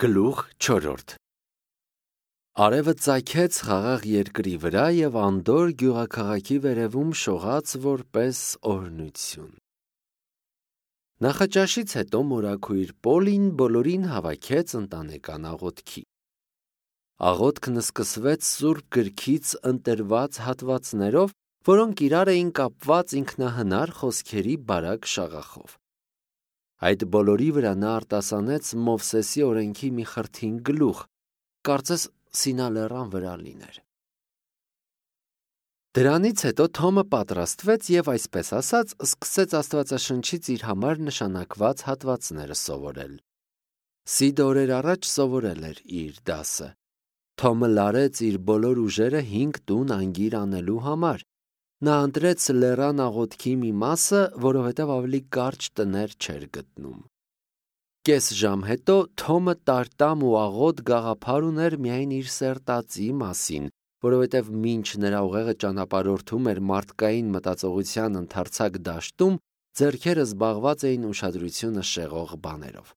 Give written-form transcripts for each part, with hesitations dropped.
Գլուխ 4 Արևը ծագեց խաղաղ երկրի վրա և անդոր գյուղաքաղաքի վերևում շողաց որպես օրհնություն։ Նախաճաշից հետո մորաքույր Պոլին բոլորին հավաքեց ընտանեկան աղոթքի։ Աղոթքն սկսվեց Սուրբ Գրքից ընտրված հատվածներով, որոնք իրար էին կապված ինքնահնար խոսքերի բարակ շաղախով։ Այդ բոլորի վրա նա արտասանեց Մովսեսի օրենքի մի խրթին գլուխ, կարծես Սինալեռան վրա լիներ։ Դրանից հետո Թոմը պատրաստվեց և այսպես ասած սկսեց Աստվածաշնչից իր համար նշանակված հատվածները սովորել։ Սիդը օրեր առաջ սովորել էր իր դասը։ Թոմը լարեց իր բոլոր ուժերը 5 տուն անգիր անելու համար։ Նա ընտրեց լեռան աղոթքի մի մասը, որովհետև ավելի կարճ տներ չէր գտնում։ Կես ժամ հետո Թոմը տարտամ ու աղոտ գաղափար ուներ միայն իր սերտածի մասին, որովհետև մինչ նրա ուղեղը ճանապարհորդում էր մարդկային մտածողության ընդարձակ դաշտում, ձեռքերը զբաղված էին ուշադրությունը շեղող բաներով։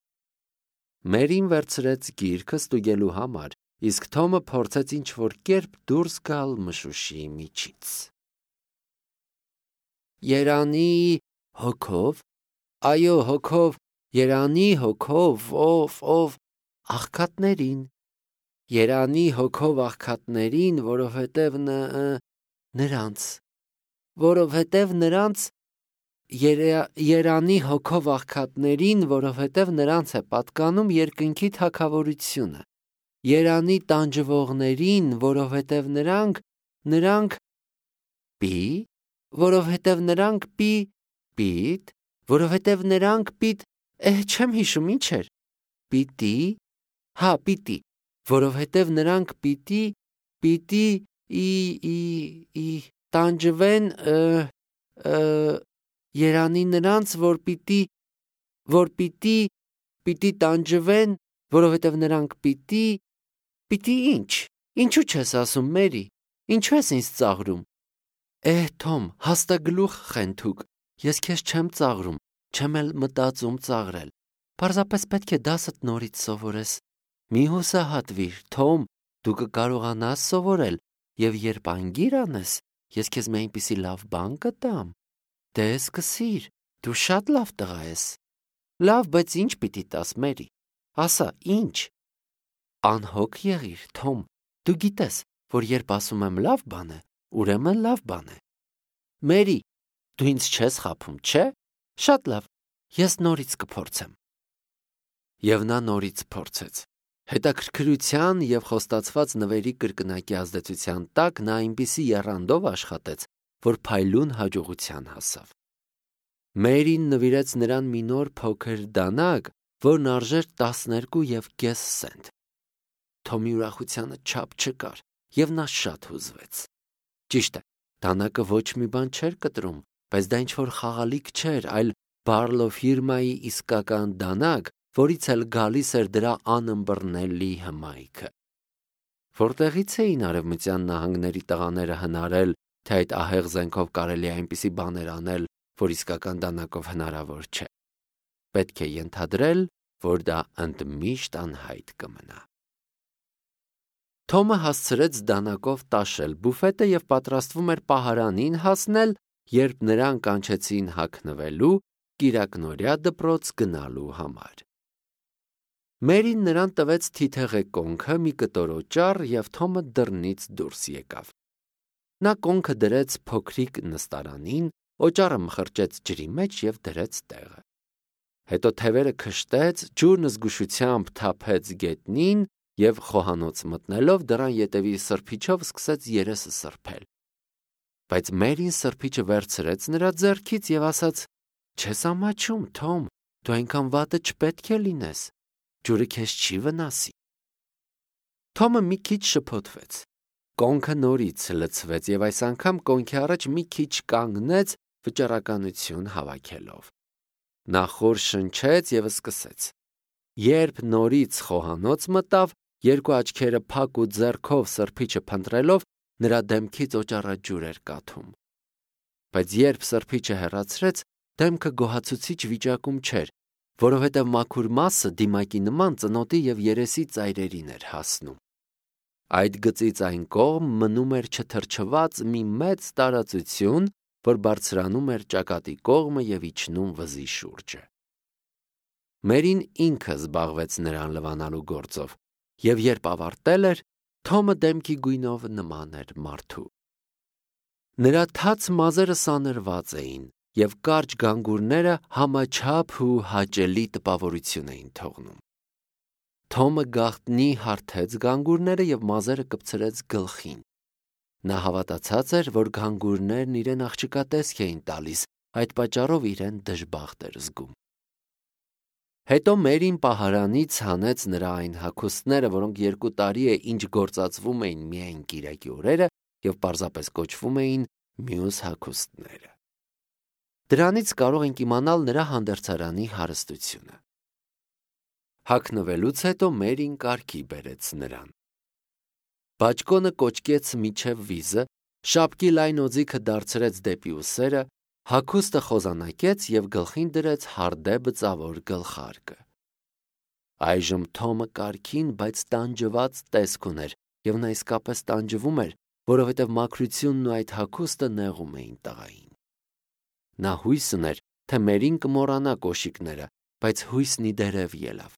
Մերին վերցրեց գիրքը ստուգելու համար, իսկ Թոմը փորձեց ինչ-որ կերպ դուրս գալ մշուշի միջից։ Երանի հոգով, այո հոգով, երանի հոգով, ով աղքատներին, երանի հոգով աղքատներին, որովհետև նրանց, երանի հոգով աղքատներին, որովհետև նրանց է պատկանում երկնքի թագավորությունը, երանի տանջվողներին, որովհետև նրանք որովհետև նրանք պիտ, որովհետև նրանք չեմ հիշում ինչ էր, պիտի, որովհետև նրանք պիտի տանջվեն, երանի նրանց, որ պիտի տանջվեն, որովհետև նրանք պիտի ինչու չես ասում Մերի, ինչու ես ինձ ծաղրում, Թոմ, հաստագլուխ խենթուկ, ես քեզ չեմ ծաղրում, չեմ էլ մտածում ծաղրել, պարզապես պետք է դասդ նորից սովորես, մի հուսահատվիր, Թոմ, դու կկարողանաս սովորել, և երբ անգիր անես, ես քեզ մի այնպիսի լավ բան կտամ, դե սկսիր, դու շատ լավ տղա ես, լավ, բայց ինչ պիտի տաս Մերի, ասա, ինչ, անհոգ եղիր, Թոմ, դու գիտես, որ երբ ասում եմ լավ բան է, ուրեմն լավ բան է։ Մերի, դու ինձ չես խաբում, չէ՞։ Շատ լավ, ես նորից կփորձեմ։ Եվ նա նորից փորձեց։ Հետաքրքրության և խոստացված նվերի կրկնակի ազդեցության տակ նա այնպիսի եռանդով աշխատեց, որ փայլուն հաջողության հասավ։ Մերին նվիրեց նրան մի նոր փոքր դանակ, որն արժեր 12.5 սենտ։ Թոմի ուրախությանը չափ չկար, և նա շատ հուզվեց։ Ճիշտ է, դանակը ոչ մի բան չէր կտրում, բայց դա ինչ-որ խաղալիք չէր, այլ Բարլո ֆիրմայի իսկական դանակ, որից էլ գալիս էր դրա անըմբռնելի հմայքը։ Որտեղից էին Արևմտյան նահանգների տղաները հնարել, թե այդ ահեղ զենքով կարելի է այնպիսի բաներ անել, որ իսկական դանակով հնարավոր չէ։ Պետք է ենթադրել, որ դա ընդմիշտ անհայտ կմնա։ Թոմը հասցրեց դանակով տաշել բուֆետը և պատրաստվում էր պահարանին հասնել, երբ նրան կանչեցին հագնվելու, կիրակնօրյա դպրոց գնալու համար։ Մերին նրան տվեց թիթեղե կոնքը, մի կտոր օճառ, և Թոմը դռնից դուրս եկավ։ Նա կոնքը դրեց փոքրիկ նստարանին, օճառը մխրճեց ջրի մեջ և դրեց տեղը։ Հետո թևերը քշտեց, ջուրն զգուշությամբ թափեց գետնին և խոհանոց մտնելով դռան ետևի սրբիչով սկսեց երեսը սրբել։ Բայց Մերին սրբիչը վերցրեց նրա ձեռքից և ասաց. «Չես ամաչում, Թոմ, դու այնքան վատը չպետք է լինես, ջուրը քեզ չի վնասի»։ Թոմը մի քիչ շփոթվեց։ Կոնքը նորից լցվեց և այս անգամ կոնքի առաջ մի քիչ կանգնեց, վճռականություն հավաքելով։ Նա խոր շնչեց և սկսեց։ Երբ նորից խոհանոց մտավ, երկու աչքերը փակ ու ձեռքով սրբիչը փնտրելով, նրա դեմքից օճառաջուր էր կաթում։ Բայց երբ սրբիչը հեռացրեց, դեմքը գոհացուցիչ վիճակում չէր, որովհետև մաքուր մասը դիմակի նման ծնոտի և երեսի ծայրերին էր հասնում։ Այդ գծից այն կողմ մնում էր չթրջված մի մեծ տարածություն, որ բարձրանում էր ճակատի կողմը և իջնում վզի շուրջը։ Մերին ինքը զբաղվեց նրան լվանալու գործով, և երբ ավարտել էր, Թոմը դեմքի գույնով նման էր մարդու։ Նրա թաց մազերը սանրված էին, և կարճ գանգուրները համաչափ ու հաճելի տպավորություն էին թողնում։ Թոմը գաղտնի հարթեց գանգուրները և մազերը կպցրեց գլխին։ Նա հավատացած էր, որ գանգուրներն իրեն աղջկա տեսք էին տալիս, այդ պատճառով իրեն դժբախտ էր զգում։ Հետո Մերին պահարանից հանեց նրա այն հագուստները, որոնք 2 տարի է ինչ գործածվում էին միայն կիրակի օրերը և պարզապես կոչվում էին մյուս հագուստները։ Դրանից կարող ենք իմանալ նրա հանդերձարանի հարստությունը։ Հագնվելուց հետո Մերին կարգի բերեց նրան։ Բաճկոնը կոճկեց մինչև վիզը, շապկի լայն օձիքը դարձրեց դեպի ուսերը, հագուստը խոզանակեց և գլխին դրեց հարդե բծավոր գլխարկը։ Այժմ Թոմը կարգին, բայց տանջված տեսք ուներ, և նա իսկապես տանջվում էր, որովհետև մաքրությունն ու այդ հագուստը նեղում էին տղային։ Նա հույս ուներ, թե Մերին կմոռանա կոշիկները, բայց հույսն ի դերև ելավ։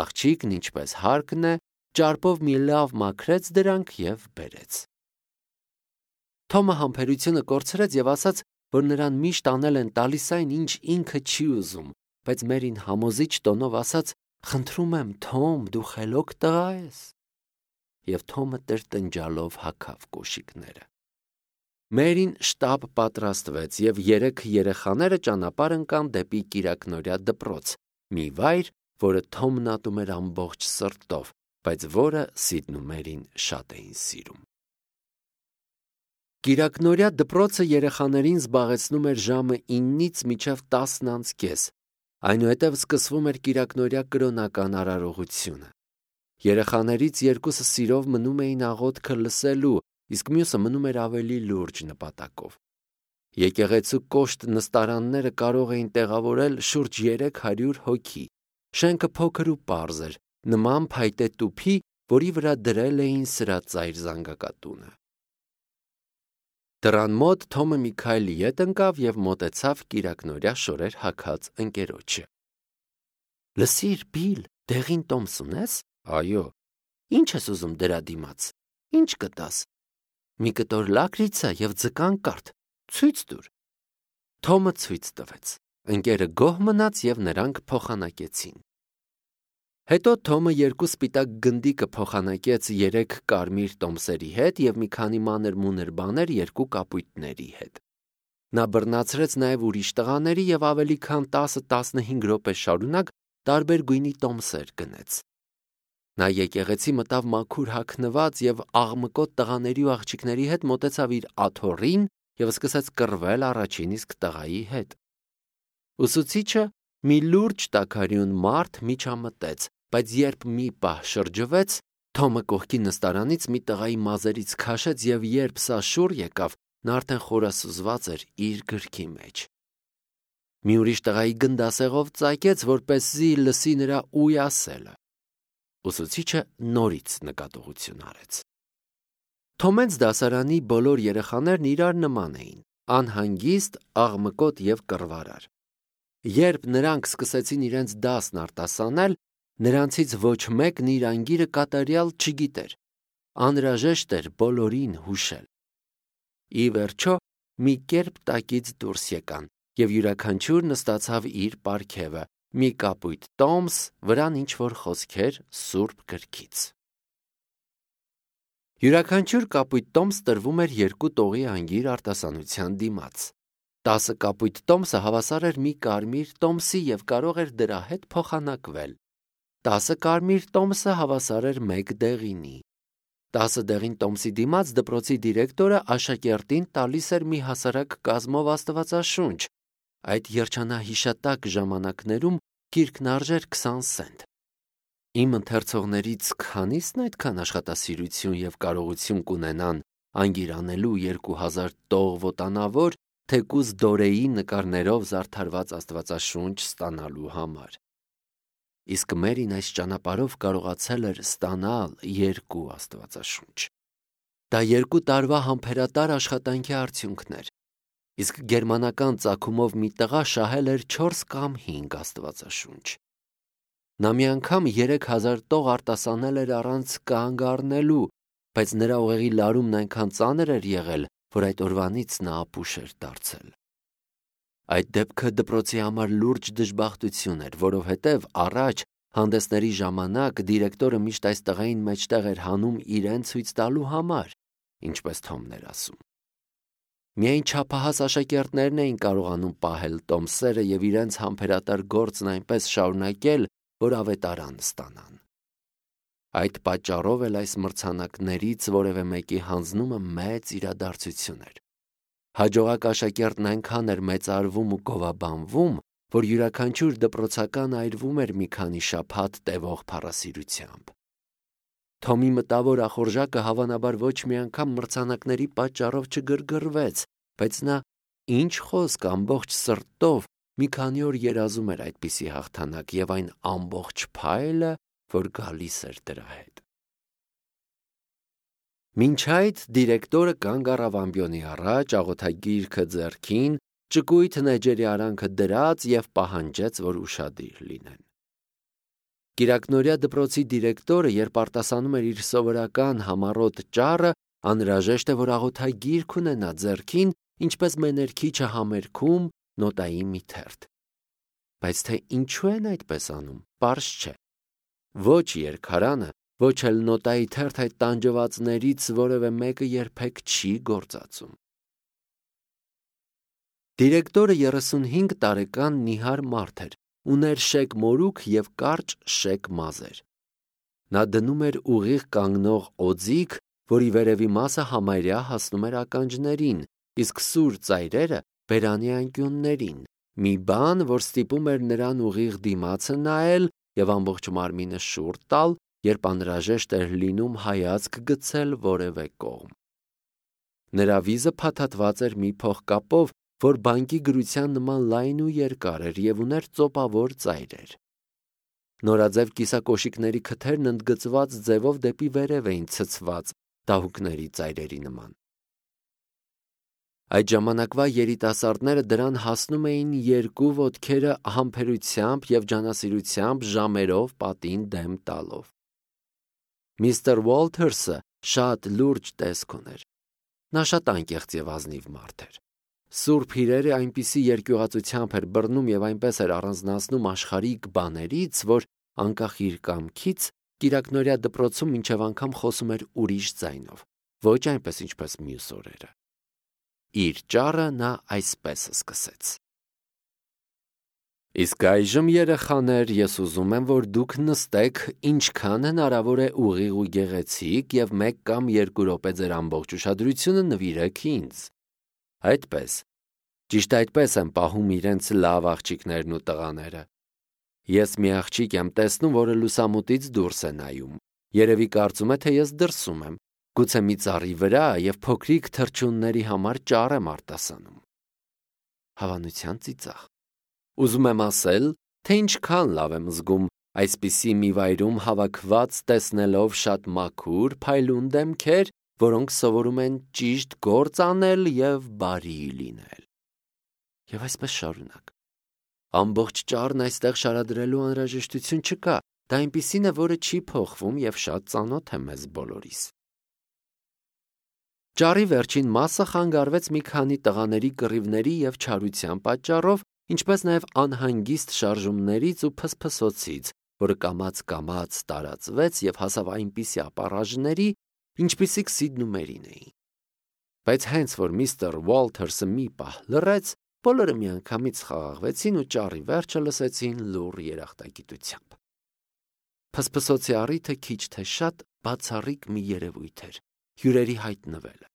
Աղջիկն, ինչպես հարկն է, ճարպով մի լավ մաքրեց դրանք և բերեց։ Թոմը համբերությունը կորցրեց և ասաց, որ նրան միշտ անել են տալիս այն, ինչ ինքը չի ուզում, բայց Մերին համոզիչ տոնով ասաց. «Խնդրում եմ, Թոմ, դու խելոք տղա ես»։ Եվ Թոմը տրտնջալով հագավ կոշիկները։ Մերին շտապ պատրաստվեց, և 3 երեխաները ճանապարհ ընկան դեպի կիրակնօրյա դպրոց, մի վայր, որը Թոմն ատում էր ամբողջ սրտով, բայց որը Սիդն ու Մերին շատ էին սիրում։ Կիրակնօրյա դպրոցը երեխաներին զբաղեցնում էր ժամը 9-ից մինչև 10:30, այնուհետև սկսվում էր կիրակնօրյա կրոնական արարողությունը։ Երեխաներից 2-ը սիրով մնում էին աղոթքը լսելու, իսկ մյուսը մնում էր ավելի լուրջ նպատակով։ Եկեղեցու կոշտ նստարանները կարող էին տեղավորել շուրջ 300 հոգի։ Շենքը փոքր ու պարզ էր, նման փայտե տուփի, որի վրա դրել էին սրածայր զանգակատունը։ Դռան մոտ Թոմը մի քայլ ետ ընկավ և մոտեցավ կիրակնօրյա շորեր հագած ընկերոջը։ Լսիր, Բիլ, դեղին տոմս ունես։ Այո։ Ինչ ես ուզում դրա դիմաց։ Ինչ կտաս։ Մի կտոր լակրիցա և ձկան կարթ։ Ցույց տուր։ Թոմը ցույց տվեց։ Ընկերը գոհ մնաց և նրանք փոխանակեցին։ Հետո Թոմը 2 սպիտակ գնդիկը փոխանակեց 3 կարմիր տոմսերի հետ և մի քանի մանր-մունր բաներ 2 կապույտների հետ։ Նա բռնացրեց նաև ուրիշ տղաների և ավելի քան 10-15 րոպե շարունակ տարբեր գույնի տոմսեր գնեց։ Նա եկեղեցի մտավ մաքուր հագնված և աղմկոտ տղաների ու աղջիկների հետ մոտեցավ իր աթոռին և սկսեց կռվել առաջին իսկ տղայի հետ։ Ուսուցիչը, մի լուրջ տաքարյուն մարդ, միջամտեց, բայց երբ մի պահ շրջվեց, Թոմը կողքի նստարանից մի տղայի մազերից քաշեց և երբ սա շուռ եկավ, նա արդեն խորասուզված էր իր գրքի մեջ։ Մի ուրիշ տղայի գնդասեղով ծակեց, որպեսզի լսի նրա ուй ասելը։ Ուսուցիչը նորից նկատողություն արեց։ Թոմենց դասարանի բոլոր երեխաներն իրար նման էին, անհանգիստ, աղմկոտ և կռվարար։ Երբ նրանք սկսեցին իրենց դասն արտասանել, նրանցից ոչ մեկն իր անգիրը կատարյալ չգիտեր։ Անհրաժեշտ էր բոլորին հուշել։ Ի վերջո, մի կերպ տակից դուրս եկան, և յուրաքանչյուրը նստացավ իր պարգևը, մի կապույտ տոմս, վրան ինչ-որ խոսքեր սուրբ գրքից։ Յուրաքանչյուր կապույտ տոմս տրվում էր 2 տողի անգիր արտասանության դիմաց։ 10 կապույտ տոմսը հավասար էր մի կարմիր տոմսի և կարող էր դրա հետ փոխանակվել։ 10 կարմիր տոմսը հավասար էր 1 դեղինի։ 10 դեղին տոմսի դիմաց դպրոցի դիրեկտորը աշակերտին տալիս էր մի հասարակ կազմով աստվածաշունչ։ Այդ երջանահիշատակ ժամանակներում գիրքն արժեր 20 սենտ։ Իմ ընթերցողներից քանի՞սն այդքան աշխատասիրություն և կարողություն կունենան անգիր անելու 2000 տող վոտանավոր, թեկուզ Դորեի նկարներով զարդարված աստվածաշունչ ստանալու համար։ Իսկ Մերին այս ճանապարհով կարողացել էր ստանալ 2 աստվածաշունչ։ Դա 2 տարվա համբերատար աշխատանքի արդյունքն էր, իսկ գերմանական ծագումով մի տղա շահել էր 4 կամ 5 աստվածաշունչ։ Նա մի անգամ 3000 տող արտասանել էր առանց կանգ առնելու, բայց նրա ուղեղի լարումն այնքան ծանր էր եղել, որ այդ օրվանից նա ապուշ էր դարձել։ Այդ դեպքը դպրոցի համար լուրջ դժբախտություն էր, որովհետև առաջ հանդեսների ժամանակ դիրեկտորը միշտ այս տղային մեջտեղ էր հանում իրեն ցույց տալու համար, ինչպես Թոմն էր ասում։ Միայն չափահաս աշակերտներն էին կարողանում պահել տոմսերը և իրենց համբերատար գործն այնպես շարունակել, որ ավետարան ստանան։ Այդ պատճառով էլ այս մրցանակներից որևէ մեկի հանձնումը մեծ իրադարձություն էր։ Հաջողակ աշակերտն այնքան էր մեծարվում ու գովաբանվում, որ յուրաքանչյուր դպրոցական այրվում էր մի քանի շաբաթ տևող փառասիրությամբ։ Թոմի մտավոր ախորժակը հավանաբար ոչ մի անգամ մրցանակների պատճառով չգրգռվեց, բայց նա ինչ խոսք ամբողջ սրտով մի քանի օր երազում էր այդպիսի հաղթանակ և այն ամբողջ փայլը, որ գալիս էր դրա հետ։ Մինչ այդ դիրեկտորը կանգ առավ ամբիոնի առաջ, աղոթագիրքը ձեռքին, ճկույթ նեջերի արանքը դրած և պահանջեց, որ ուշադիր լինեն։ Կիրակնօրյա դպրոցի դիրեկտորը, երբ արտասանում էր իր սովորական համառոտ ճառը, անհրաժեշտ է, որ աղոթագիրք ունենա ձեռքին, ինչպես մեներքիչը համերգում նոտայի մի թերթ։ Բայց թե ինչու են այդպես անում, պարզ չէ։ Ոչ երգարանը, ոչ էլ նոտայի թերթ այդ տանջվածներից որևէ մեկը երբեք չի գործածում։ Դիրեկտորը 35 տարեկան նիհար մարդ էր, ուներ շեկ մորուք և կարճ շեկ մազեր։ Նա դնում էր ուղիղ կանգնող օձիք, որի վերևի մասը համարյա հասնում էր ականջներին, իսկ սուր ծայրերը բերանի անկյուններին, մի բան, որ ստիպում էր նրան ուղիղ դիմացը նայել և ամբողջ մարմինը շուռ տալ, երբ անհրաժեշտ էր լինում հայացք գցել որևէ կողմ։ Նրա վիզը փաթաթված էր մի փողկապով, որ բանկի գրության նման լայն ու երկար էր և ուներ ծոպավոր ծայրեր։ Նորաձև կիսակոշիկների քթերն ընդգծված ձևով դեպի վերև էին ցցված դահուկների ծայրերի նման։ Այդ ժամանակվա երիտասարդները դրան հասնում էին 2 ոտքերը համբերությամբ և ջանասիրությամբ ժամերով պատին դեմ տալով։ Միսթր Ուոլթերսը շատ լուրջ տեսք ուներ։ Նա շատ անկեղծ և ազնիվ մարդ էր։ Սուրբ իրերը այնպիսի երկյուղածությամբ էր բռնում և այնպես էր առանձնացնում աշխարհիկ բաներից, որ անկախ իր կամքից կիրակնօրյա դպրոցում մինչև անգամ խոսում էր ուրիշ ձայնով, ոչ այնպես ինչպես մյուս օրերը։ Իր ճառը նա այսպես սկսեց. Իսկ այժմ, երեխաներ, ես ուզում եմ, որ դուք նստեք ինչքան հնարավոր է ուղիղ ու գեղեցիկ և 1 կամ 2 րոպե ձեր ամբողջ ուշադրությունը նվիրեք ինձ։ Այդպես, ճիշտ այդպես են պահում իրենց լավ աղջիկներն ու տղաները։ Ես մի աղջիկ եմ տեսնում, որը լուսամուտից դուրս է նայում։ Երևի կարծում է, թե ես դրսում եմ, գուցե մի ծառի վրա և փոքրիկ թռչունների համար ճառ եմ արտասանում։ Հավանության ծիծաղ։ Ուզում եմ ասել, թե ինչքան լավ եմ զգում այսպիսի մի վայրում հավաքված տեսնելով շատ մաքուր, փայլուն դեմքեր, որոնք սովորում են ճիշտ գործ անել և բարի լինել։ Եվ այսպես շարունակ։ Ամբողջ ճառն այստեղ շարադրելու անհրաժեշտություն չկա, դա այնպիսին է, որը չի փոխվում և շատ ծանոթ է մեզ բոլորիս։ Ճառի վերջին մասը խանգարվեց մի քանի տղաների կռիվների և չարության պատճառով, ինչպես նաև անհանգիստ շարժումներից ու փսփսոցից, որը կամաց-կամաց տարածվեց և հասավ այնպիսի ապառաժների, ինչպիսիք Սիդն ու Մերին էին։ Բայց հենց որ միսթր Ուոլթերսը մի պահ լռեց, բոլորը միանգամից խաղաղվեցին ու ճառի վերջը լսեցին լուռ երախտագիտությամբ։ Փսփսոցի առիթը քիչ թե շատ բացառիկ մի երևույթ էր՝ հյուրերի հայտնվելը։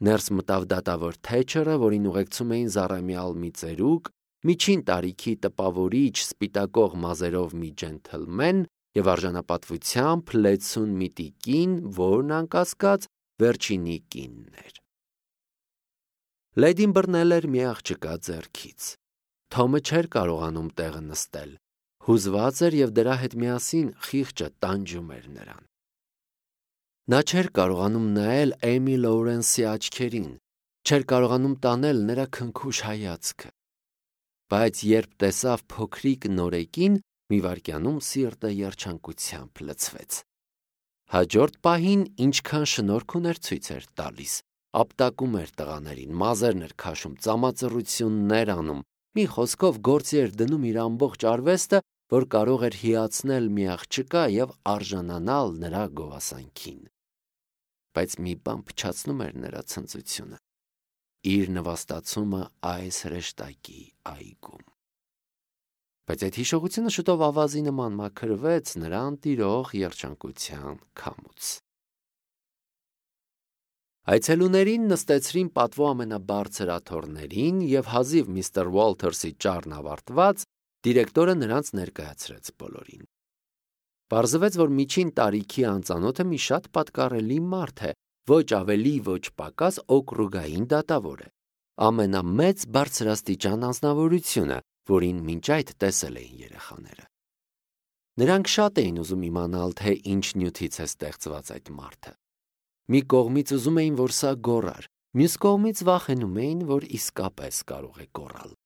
Ներս մտավ դատավոր Թեչերը, որին ուղեկցում էին զառամյալ մի ծերուկ, միջին տարիքի տպավորիչ սպիտակող մազերով մի ջենթլմեն և արժանապատվությամբ լեցուն մի տիկին, որն անկասկած վերջինի կինն էր։ Լեդին բռնել էր մի աղջկա ձեռքից։ Թոմը չէր կարողանում տեղը նստել, հուզված էր և դրա հետ միասին խիղճը տանջում էր նրան։ Նա չէր կարողանում նայել Էմի Լոուրենսի աչքերին, չէր կարողանում տանել նրա քնքուշ հայացքը։ Բայց երբ տեսավ փոքրիկ նորեկին, մի վայրկյանում սիրտը երջանկությամբ լցվեց։ Հաջորդ պահին ինչքան շնորհք ուներ ցույց էր տալիս, ապտակում էր տղաներին, մազերն էր քաշում, ծամածռություններ անում, մի խոսքով գործի էր դնում իր ամբողջ արվեստը, որ կարող էր հիացնել մի աղջկա և արժանանալ նրա գովասանքին։ Բայց մի բան փչացնում էր նրա ցնծությունը՝ իր նվաստացումը այս հրեշտակի այգում։ Բայց այդ հիշողությունը շուտով ավազի նման մաքրվեց նրան տիրող երջանկության քամուց։ Այցելուներին նստեցրին պատվո ամենաբարձր աթոռներին և հազիվ միստր Ուոլթերսի ճառն ավարտված, դիրեկտորը նրանց ներկայացրեց բոլորին։ Պարզվեց, որ միջին տարիքի անծանոթը մի շատ պատկառելի մարդ է, ոչ ավելի, ոչ պակաս օկրուգային դատավոր է, ամենամեծ բարձրաստիճան անձնավորությունը, որին մինչ այդ տեսել էին երեխաները։ Նրանք շատ էին ուզում իմանալ, թե ինչ նյութից է ստեղծված այդ մարդը։ Մի կողմից ուզում էին, որ սա գոռար, մյուս կողմից վախենում էին, որ իսկապես կարող է գոռալ։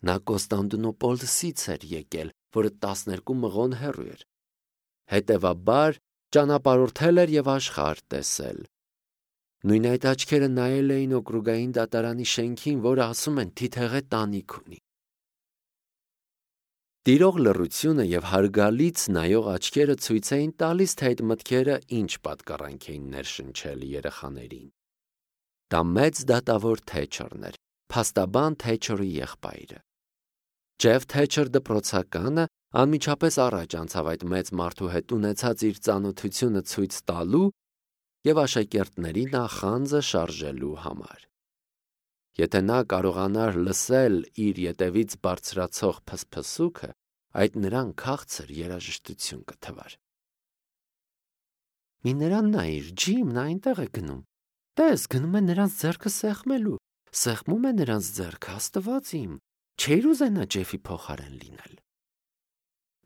Նա Կոստանդնուպոլսից էր եկել, որը 12 մղոն հեռու էր։ Հետևաբար ճանապարհորդել էր և աշխարհ տեսել։ Նույն այդ աչքերը նայել էին օկրուգային դատարանի շենքին, որը ասում են թիթեղե տանիք ունի։ Տիրող լռությունը և հարգալից նայող աչքերը ցույց էին տալիս, թե այդ մտքերը ինչ պատկառանք էին ներշնչել երեխաներին։ Դա մեծ դատավոր Թեչերն էր, փաստաբան Թեչերի եղբայրը։ Ջեֆ Թեչեր դպրոցականը անմիջապես առաջ անցավ այդ մեծ մարդու հետ ունեցած իր ծանոթությունը ցույց տալու և աշակերտների նախանձը շարժելու համար։ Եթե նա կարողանար լսել իր ետևից բարձրացող փսփսուքը, այդ նրան քաղցր երաժշտություն կթվար։ Մի նրան նայիր, Ջիմ, նա այնտեղ է գնում։ Տես, գնում է նրանց ձեռքը սեղմելու, սեղմում է նրանց ձեռքը, Աստված իմ, չէր ուզենա Ջեֆի փոխարեն լինել։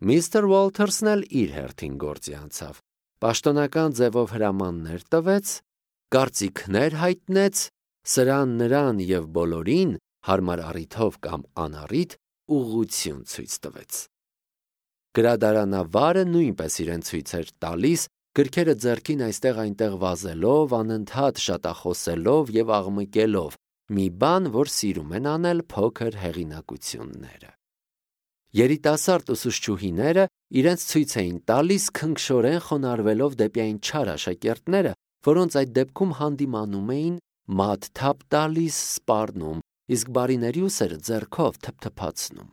Միստր Ուոլթերսն էլ իր հերթին գործի անցավ, պաշտոնական ձևով հրամաններ տվեց, կարծիքներ հայտնեց, սրան նրան և բոլորին հարմար առիթով կամ անառիթ ուղղություն ցույց տվեց։ Գրադարանավարը նույնպես իրեն ցույց էր տալիս, գրքերը ձեռքին այստեղ-այնտեղ վազելով, անընդհատ շատախոսելով և աղմկելով, մի բան, որ սիրում են անել փոքր հեղինակությունները։ Երիտասարդ ուսուցչուհիները իրենց ցույց էին տալիս, քնքշորեն խոնարհվելով դեպի այն չար աշակերտները, որոնց այդ դեպքում հանդիմանում էին, մատ թափ տալիս, սպառնում, իսկ բարիների ուսերը ձեռքով թփթփացնում։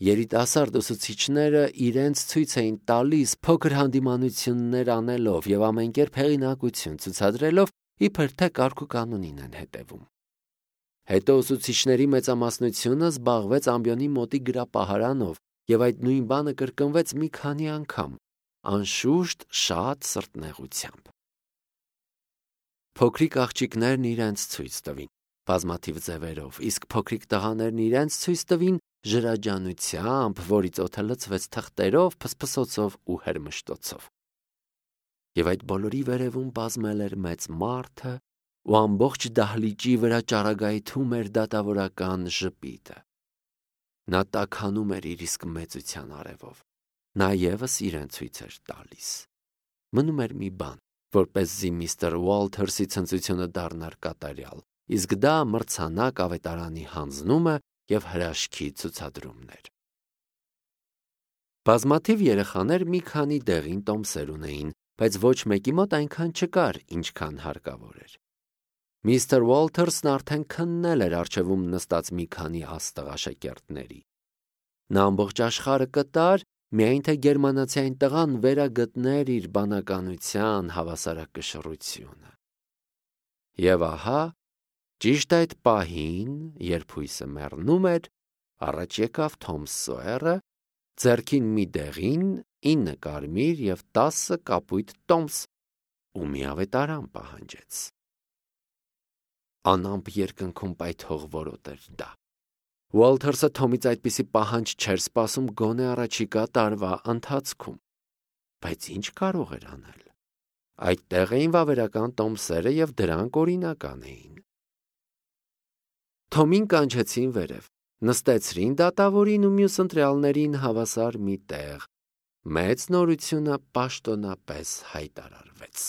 Երիտասարդ ուսուցիչները իրենց ցույց էին տալիս փոքր հանդիմանություններ անելով և ամենկերպ հեղինակություն ցուցադրելով, իբր թե կարգուկանոնին են հետևում։ Հետո ուսուցիչների մեծամասնությունը զբաղվեց ամբիոնի մոտի գրապահարանով և այդ նույն բանը կրկնվեց մի քանի անգամ, անշուշտ շատ սրտնեղությամբ։ Փոքրիկ աղջիկներն իրենց ցույց տվին բազմաթիվ ձևերով, իսկ փոքրիկ տղաներն իրենց ցույց տվին ժրաջանությամբ, որից օդը լցվեց թղթերով, փսփսոցով ու հրմշտոցով։ Եվ այդ բոլորի վերևում բազմել էր մեծ մարդը ու ամբողջ դահլիճի վրա ճառագայթում էր դատավորական ժպիտը։ Նա տաքանում էր իր իսկ մեծության արևով։ Նա ևս իրեն ցույց էր տալիս։ Մնում էր մի բան, որպեսզի միստր Ուոլթերսի ցնծությունը դառնար կատարյալ, իսկ դա մրցանակ ավետարանի հանձնումը և հրաշքի ցուցադրումներ։ Բազմաթիվ երեխաներ մի քանի դեղին տոմսեր ունեին, բայց ոչ մեկի մոտ այնքան չկար, ինչքան հարկավոր էր։ Միստր Ուոլթերսն արդեն քննել էր առջևում նստած մի քանի աստղ աշակերտների։ Նա ամբողջ աշխարհը կտար, միայն թե գերմանացի այն տղան վերագտներ իր բանականության հավասարակշռությունը։ Եվ ահա, ճիշտ այդ պահին, երբ հույսը մեռնում էր, առաջ եկավ Թոմ Սոյերը, ձեռքին մի դեղին, 9 կարմիր և 10 կապույտ տոմս ու մի ավետարան պահանջեց։ Անամպ երկնքում պայթող որոտ էր դա։ Ուոլթերսը Թոմից այդպիսի պահանջ չէր սպասում գոնե առաջիկա տարվա ընթացքում։ Բայց ինչ կարող էր անել։ Այդտեղ էին վավերական տոմսերը և դրանք օրինական էին։ Թոմին կանչեցին վերև, նստեցրին դատավորին ու մյուս ընտրյալներին հավասար մի տեղ։ Մեծ նորությունը պաշտոնապես հայտարարվեց։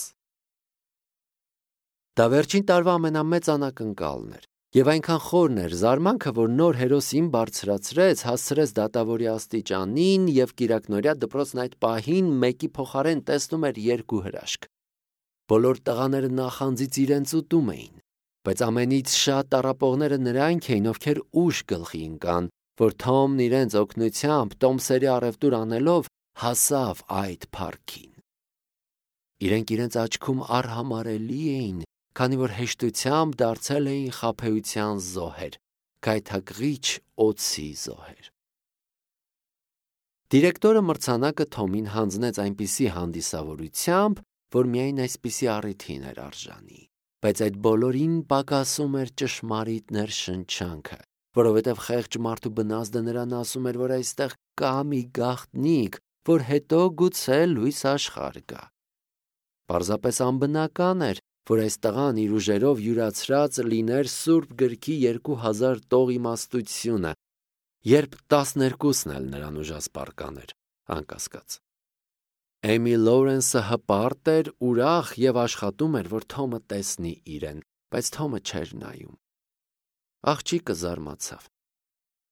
Դա վերջին տարվա ամենամեծ անակնկալն էր, և այնքան խորն էր զարմանքը, որ նոր հերոսին բարձրացրեց, հասցրեց դատավորի աստիճանին և կիրակնօրյա դպրոցն այդ պահին մեկի փոխարեն տեսնում էր երկու հրաշք։ Բոլոր տղաները նախանձից իրենց ուտում էին, բայց ամենից շատ տառապողները նրանք էին, ովքեր ուշ գլխի ընկան, որ Թոմն իրենց օգնությամբ տոմսերի առևտուր անելով հասավ այդ փառքին։ Իրենք իրենց աչքում արհամարհելի էին, քանի որ հեշտությամբ դարձել էին խաբեության զոհեր, գայթակղիչ օձի զոհեր։ Դիրեկտորը մրցանակը Թոմին հանձնեց այնպիսի հանդիսավորությամբ, որ միայն այսպիսի առիթին էր արժանի, բայց այդ բոլորին պակասում էր ճշմարիտ ներշնչանքը, որովհետև խեղճ մարդու բնազդը նրան ասում էր, որ այստեղ կա մի գաղտնիք, որ հետո գուցե լույս աշխարհ գա։ Պարզապես անբնական էր, որ այս տղան իր ուժերով յուրացրած լիներ Սուրբ գրքի 2000 տող իմաստությունը, երբ 12-ն էլ նրան ուժասպառ կաներ, անկասկած։ Էմի Լորենսը հպարտ էր, ուրախ և աշխատում էր, որ Թոմը տեսնի իրեն, բայց Թոմը չէր նայում։ Աղջիկը զարմացավ։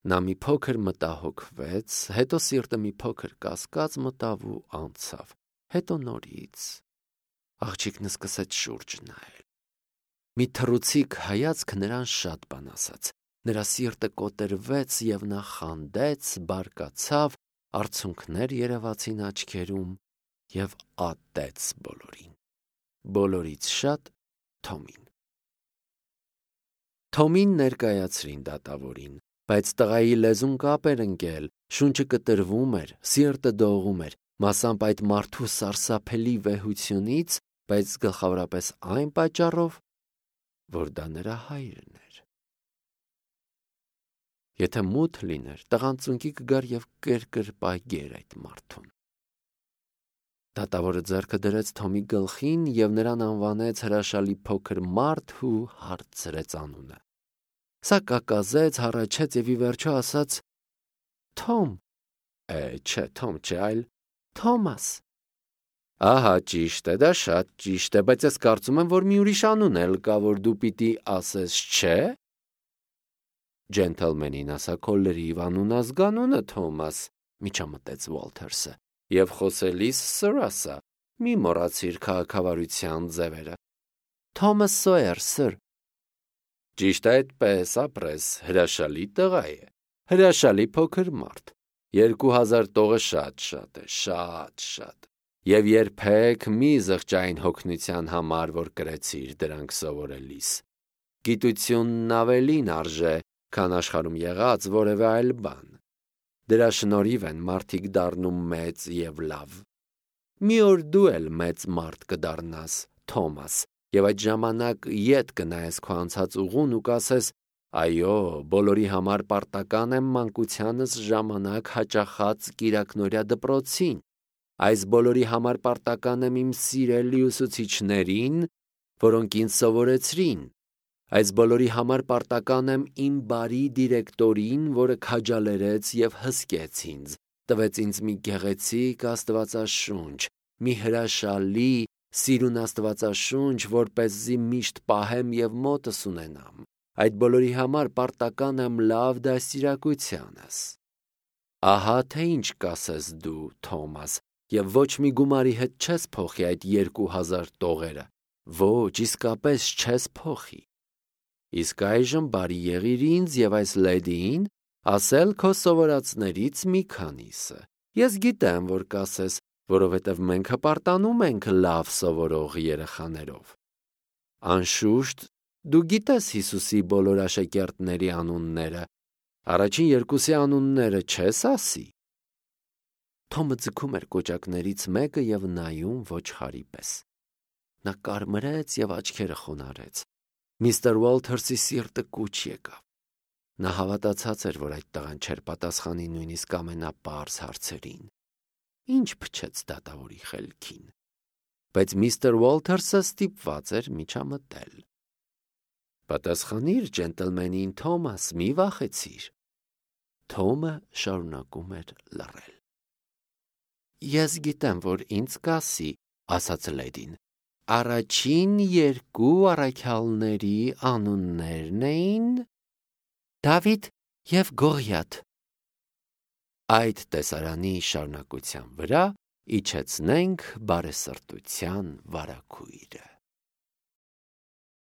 Նա մի փոքր մտահոգվեց, հետո սիրտը մի փոքր կասկած մտավ ու անցավ, հետո նորից։ Աղջիկն սկսեց շուրջ նայել։ Մի թռուցիկ հայացքը նրան շատ բան ասաց։ Նրա սիրտը կոտրվեց և նա խանդեց, բարկացավ, արցունքներ երևացին աչքերում և ատեց բոլորին։ Բոլորից շատ Թոմին։ Թոմին ներկայացրին դատավորին, բայց տղայի լեզուն կապ էր ընկել, շունչը կտրվում էր, սիրտը դողում էր, մասամբ այդ մարդու սարսափելի վեհությունից, բայց գլխավորապես այն պատճառով, որ դա նրա հայրն էր։ Եթե մութ լիներ, տղան ծունկի կգար և կրկրպագեր այդ մարդուն։ Դատավորը ձեռքը դրեց Թոմի գլխին և նրան անվանեց հրաշալի փոքր մարդ ու հարցրեց անունը։ Սա կակազեց, հառաչեց և ի վերջո ասաց. Թոմ։ Չէ, Թոմ չէ, այլ Թոմաս։ Ահա, ճիշտ է, դա շատ ճիշտ է, բայց ես կարծում եմ, որ մի ուրիշ անուն էլ կա, որ դու պիտի ասես, չէ՞։ Ջենթլմենին ասա քո լրիվ անուն-ազգանունը, Թոմաս, միջամտեց Ուոլթերսը, և խոսելիս սըր ասա, մի մոռացիր քաղաքավարության ձևերը։ Թոմաս Սոյեր, սըր։ Ճիշտ է այդպես, ապրես, հրաշալի տղա է, հրաշալի փոքր մարդ։ 2000 տողը շատ է, շատ։ Եվ երբեք մի զղջային հոգնության համար, որ կրեցիր դրանք սովորելիս։ Գիտությունն ավելին արժե, քան աշխարհում եղած որևէ այլ բան։ Դրա շնորհիվ են մարդիկ դառնում մեծ և լավ։ Մի օր դու էլ մեծ մարդ կդառնաս, Թոմաս, և այդ ժամանակ ետ կնայես քո անցած ուղուն ու կասես. այո, բոլորի համար պարտական եմ մանկությանս ժամանակ հաճախած կիրակնօրյա դպրոցին։ Այս բոլորի համար պարտական եմ իմ սիրելի ուսուցիչներին, որոնք ինձ սովորեցրին։ Այս բոլորի համար պարտական եմ իմ բարի դիրեկտորին, որը քաջալերեց և հսկեց ինձ, տվեց ինձ մի գեղեցիկ աստվածաշունչ, մի հրաշալի, սիրուն աստվածաշունչ, որպեսզի միշտ պահեմ և մոտս ունենամ։ Այդ բոլորի համար պարտական եմ լավ դաստիարակությանս։ Ահա թե ինչ կասես դու, Թոմաս, և ոչ մի գումարի հետ չես փոխի այդ 2000 տողերը, ոչ, իսկապես չես փոխի։ Իսկ այժմ բարի եղիր ինձ և այս լեդիին ասել քո սովորածներից մի քանիսը։ Ես գիտեմ, որ կասես, որովհետև մենք հպարտանում ենք լավ սովորող երեխաներով։ Անշուշտ, դու գիտես Հիսուսի բոլոր աշակերտների անունները, առաջին երկուսի անունները չես ասի։ Թոմը ձգում էր կոճակներից մեկը և նայում ոչխարի պես։ Նա կարմրեց և աչքերը խոնարհեց։ Միստր Ուոլթերսի սիրտը կուչ եկավ։ Նա հավատացած էր, որ այդ տղան չէր պատասխանի նույնիսկ ամենապարզ հարցերին։ Ինչ փչեց դատավորի խելքին։ Բայց միստր Ուոլթերսը ստիպված էր միջամտել։ Պատասխանիր ջենտլմենին, Թոմաս, մի վախեցիր։ Թոմը շարունակում էր լռել։ Ես գիտեմ, որ ինձ կասի, ասաց լեդին, առաջին երկու առաքյալների անուններն էին Դավիթ և Գողիաթ։ Այդ տեսարանի շարունակության վրա իջեցնենք բարեսրտության վարագույրը։